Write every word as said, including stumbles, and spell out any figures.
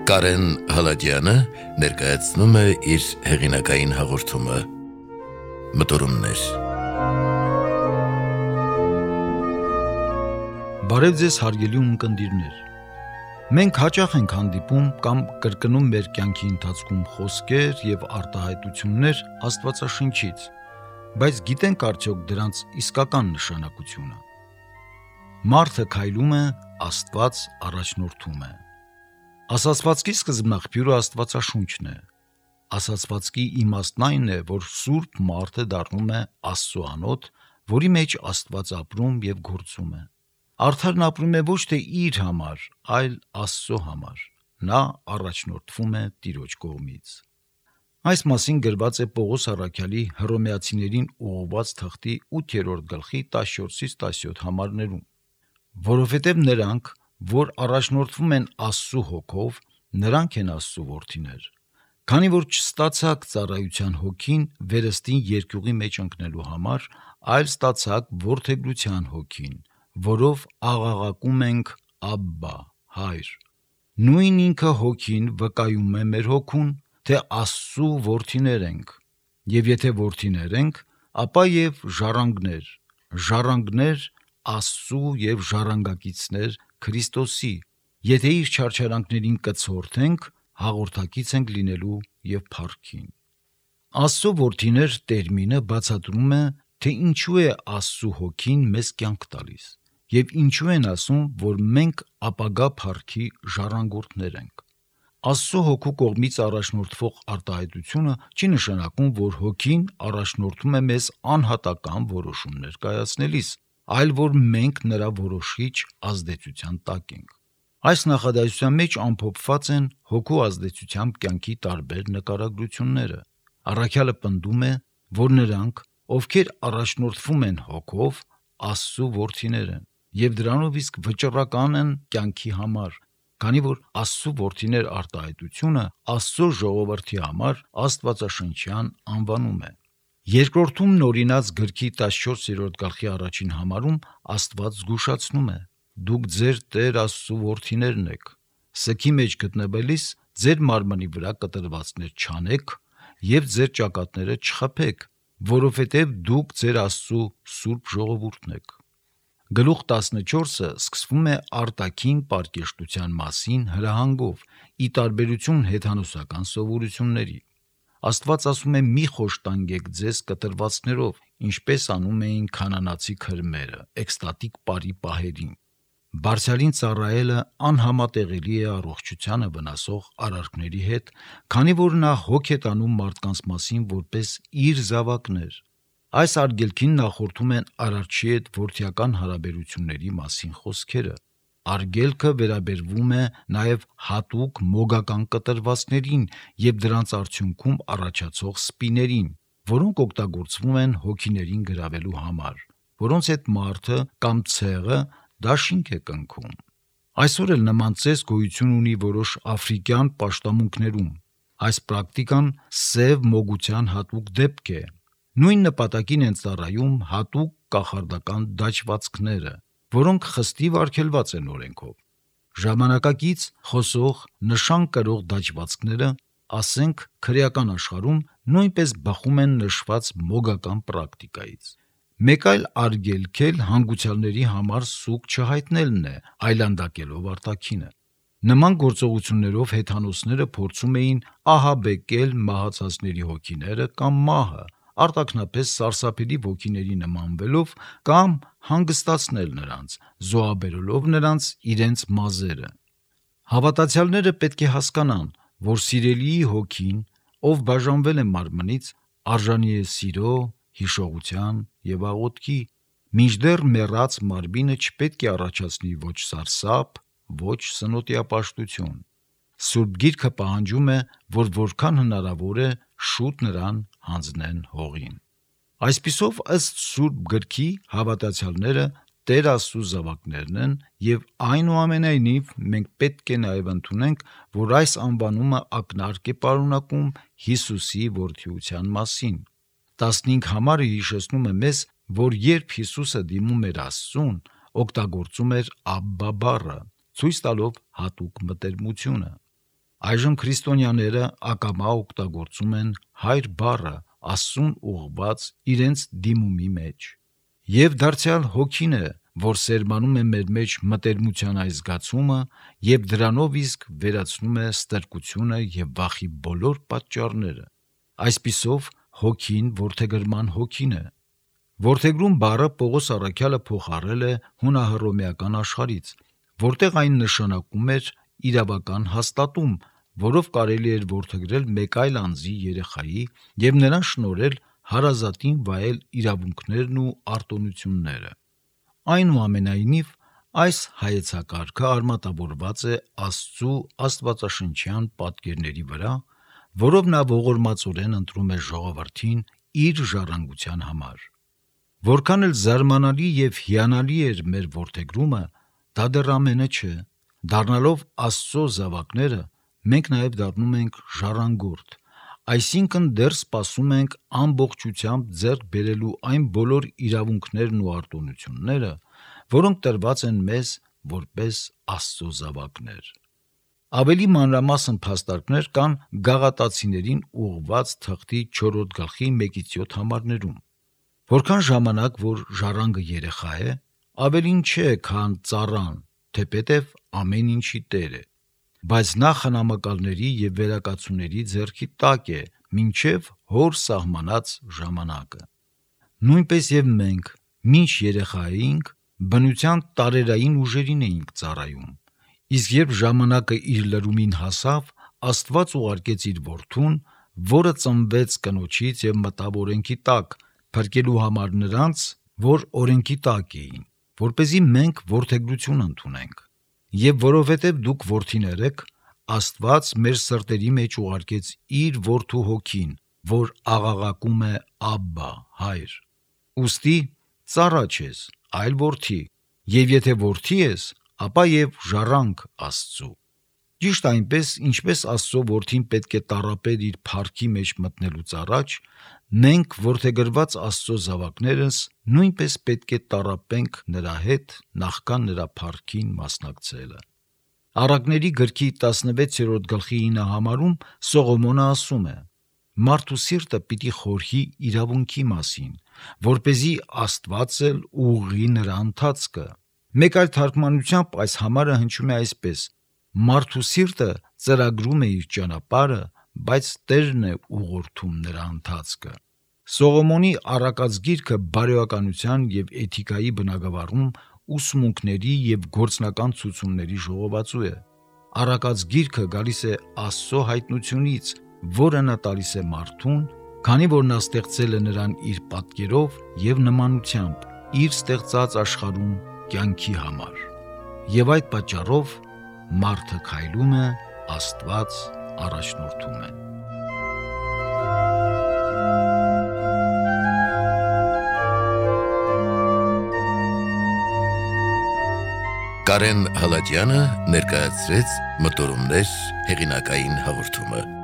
Կարեն Հալաջյանը ներկայացնում է իր հեղինակային հաղորդումը Մտորումներ։ Բարև ձեզ հարգելի ունկնդիրներ։ Մենք հաճախ ենք հանդիպում կամ կրկնում մեր կյանքի ընթացքում խոսքեր եւ արտահայտություններ Աստվածաշնչից, բայց գիտենք արդյոք դրանց իսկական նշանակությունը։ Մարդը քայլում է, Աստված առաջնորդում է։ Ասացվածքի սկզբնաղբյուրը Աստվածաշունչն է։ Ասացվածքի իմաստն այն է, որ սուրբ մարդը դառնում է Աստծո անոթ, որի մեջ Աստված ապրում եւ գործում է։ Արդարն ապրում է ոչ թե իր համար, այլ Աստծո համար։ Նա առաջնորդվում է Տիրոջ կողմից։ Այս մասին գրված է Պողոս առաքյալի Հռոմեացիներին ուղղված թղթի ութերորդ գլխի տասնչորսից տասնյոթ համարներում, որովհետև նրանք, որ առաջնորդվում են Աստծո հոգով, նրանք են Աստծո որդիներ, քանի որ չստացաք ծառայության հոգին վերստին երկյուղի մեջ ընկնելու համար, այլ ստացաք որդեգրության հոգին, որով աղաղակում ենք Աբբա, Հայր։ Նույն ինքը հոգին վկայում է մեր հոգուն, թե Աստծո որդիներ ենք, եւ եթե որդիներ ենք, ապա եւ ժառանգներ, ժառանգներ Աստծո եւ ժառանգակիցներ Քրիստոսի, եթե իր չարչարանքներին կցորդենք, հաղորդակից ենք լինելու եւ փառքին։ Աստծո որդիներ տերմինը բացատրում է, թե ինչու է Աստծո հոգին մեզ կյանք տալիս եւ ինչու են ասում, որ մենք ապագա փառքի ժառանգորդներ ենք։ Աստծո հոգու կողմից առաջնորդվող արտահայտությունը չի նշանակում, որ հոգին առաջնորդում է մեզ անհատական որոշումներ կայացնելիս, այլ որ մենք նրա որոշիչ ազդեցության տակ ենք։ Այս նախադասության մեջ ամփոփված են հոգու ազդեցությամբ կյանքի տարբեր նկարագրությունները։ Առաքյալը պնդում է, որ նրանք, ովքեր առաջնորդվում են հոգով, Աստծո որդիներ են եւ դրանով իսկ վճռական են կյանքի համար, քանի որ Աստծո որդիներ արտահայտությունը Աստծո ժողովրդի համար աստվածաշնչյան անվանում է։ Երկրորդում նորինած գրքի տասնչորսերորդ գլխի առաջին համարում Աստված զգուշացնում է. «Դուք ձեր Տեր Աստծո որդիներն եք, սգի մեջ գտնվելիս ձեր մարմնի վրա կտրվածքներ չանեք եւ ձեր ճակատները չխփեք, որովհետեւ դուք ձեր Աստծո սուրբ ժողովուրդն եք»։ Գլուխ տասնչորսը սկսվում է արտաքին պարկեշտության մասին հրահանգով, ի տարբերություն հեթանոսական սովորությունների։ Աստված ասում է՝ մի խոշտանգեք ձեզ կտրվածքներով, ինչպես անում էին քանանացի քրմերը էքստատիկ պարի պահերին։ Բարձրալին ծառայելը անհամատեղելի է առողջությանը վնասող արարքների հետ, քանի որ նա հոգ է տանում մարդկանց մասին որպես իր զավակներ։ Այս արգելքին նախորդում են Արարչի հետ որդիական հարաբերությունների մասին խոսքերը։ Արգելքը վերաբերվում է նաև հատուկ մոգական կտրվածքներին եւ դրանց արդյունքում առաջացող սպիներին, որոնք օգտագործվում են հոգիներին գրավելու համար, որոնց հետ մարդը կամ ցեղը դաշինք է կնքում։ Այսօր էլ նման ծես գոյություն ունի որոշ աֆրիկյան պաշտամունքներում։ Այս պրակտիկան սև մոգության հատուկ դեպք է։ Նույն նպատակին են ծառայում հատուկ կախարդական դաջվածքները, որոնք խստիվ արգելված են օրենքով։ Ժամանակակից խոսող նշան կրող դաջվածքները, ասենք քրեական աշխարհում, նույնպես բխում են նշված մոգական պրակտիկայից։ Մեկ այլ արգելք էլ հանգուցյալների համար սուգ չհայտնելն է, այլանդակելով արտաքինը։ Նման գործողություններով հեթանոսները փորձում էին ահաբեկել մահացածների հոգիները կամ մահը, արտաքնապես սարսափելի ոգիների նմանվելով կամ հանգստացնել նրանց, զոհաբերելով նրանց իրենց մազերը։ Հավատացյալները պետք է հասկանան, որ սիրելիի հոգին, ով բաժանվել է մարմնից, արժանի է սիրո, հիշողության եւ աղոթքի, մինչդեռ մեռած մարմինը չպետք է առաջացնի ոչ սարսափ, ոչ սնոտիապաշտություն։ Սուրբ Գիրքը պահանջում է, որ որքան հնարավոր է շուտ նրան հանձնեն հողին։ Այսպիսով, ըստ Սուրբ Գրքի, հավատացյալները Տեր Աստծո զավակներն են եւ այնուամենայնիվ մենք պետք է նաեւ ընդունենք, որ այս անվանումը ակնարկ է պարունակում Հիսուսի որդիության մասին։ տասնհինգ համարը հիշեցնում է մեզ, որ երբ Հիսուսը դիմում էր Աստծուն, օգտագործում էր Աբբա բառը, ցույց տալով հատուկ մտերմությունը։ Այժմ քրիստոնյաները ակամա օգտագործում են հայր բառը Աստծուն ուղղված իրենց դիմումի մեջ։ Եվ դարձյալ հոգին է, որ սերմանում է մեր մեջ մտերմության այս զգացումը եւ դրանով իսկ վերացնում է ստրկությունը եւ վախի բոլոր պատճառները։ Այսպիսով հոգին որդեգրման հոգին է։ Որդեգրում բառը Պողոս առաքյալը փոխառել է հունահռոմեական աշխարհից, որտեղ այն նշանակում էր իրավական հաստատում, որով կարելի էր որդեգրել մեկ այլ անձի երեխայի եւ նրան շնորհել հարազատին վայել իրավունքներն ու արտոնությունները։ Այնուամենայնիվ, այս հայեցակարգը արմատավորված է Աստծու աստվածաշնչյան պատկերների վրա, որով նա ողորմածորեն ընտրում է ժողովրդին իր ժառանգության համար։ Որքան էլ զարմանալի եւ հիանալի էր մեր որդեգրումը, դա դեռ ամենը չէ։ Դառնալով Աստծո զավակները, մենք նաև դառնում ենք ժառանգորդ, այսինքն դեռ սպասում ենք ամբողջությամբ ձեռք բերելու այն բոլոր իրավունքներն ու արտոնությունները, որոնք տրված են մեզ որպես Աստծո զավակներ։ Ավելի մանրամասն փաստարկներ կան Գաղատացիներին ուղղված թղթի չորրորդ գլխի մեկից յոթ համարներում։ Որքան ժամանակ, որ ժառանգը երեխա է, ավելին չէ, քան ծառան, թեպետև ամեն ինչի տեր է, բայց նա խնամակալների եւ վերակացուների ձեռքի տակ է, մինչև հոր սահմանած ժամանակը։ Նույնպես եւ մենք, մինչ երեխա էինք, բնության տարերային ուժերին էինք ծառայում, իսկ երբ ժամանակը իր լրումին հասավ, Աստված ուղարկեց իր որդուն, որը ծնվեց կնոջից եւ մտավ օրենքի տակ, փրկելու համար նրանց, որ օրենքի տակ էին, որպեսզի մենք որդեգրություն ընդունենք։ Եվ որովհետև դուք որդիներ եք, Աստված մեր սրտերի մեջ ուղարկեց իր որդու հոգին, որ աղաղակում է Աբբա, հայր։ Ուստի ծառա չես, այլ որդի, եւ եթե որդի ես, ապա եւ ժառանգ Աստծու։ Ճիշտ այնպես, ինչպես Աստծո որդին պետք է տառապեր իր փառքի մեջ մտնելուց առաջ, մենք որդեգրված Աստծո զավակներս նույնպես պետք է տառապենք նրա հետ նախքան նրա փառքին մասնակցելը։ Առակների գրքի տասնվեցերորդ գլխի ինը համարում Սողոմոնը ասում է. «Մարդու սիրտը պիտի խորհի իրավունքի մասին, որպեսզի Աստված էլ ուղղի նրա ընթացքը»։ Մեկ այլ թարգմանությամբ այս համարը հնչում է այսպես. «Մարդու սիրտը ծրագրում է իր ճանապարհը, բայց Տերն է ուղղորդում նրա ընթացքը»։ Սողոմոնի առակած գիրքը բարոյականության եւ էթիկայի բնագավառում ուսմունքների եւ գործնական ցուցումների ժողովածու է։ Առակած գիրքը գալիս է Աստծո հայտնությունից, որը նա տալիս է մարդուն, քանի որ նա ստեղծել է նրան իր պատկերով եւ նմանությամբ, իր ստեղծած աշխարհում կյանքի համար։ Եվ այդ պատճառով մարդը քայլում է, Աստված առաջնորդում է։ Կարեն Հալաջյանը ներկայացրեց Մտորումներ հեղինակային հաղորդումը։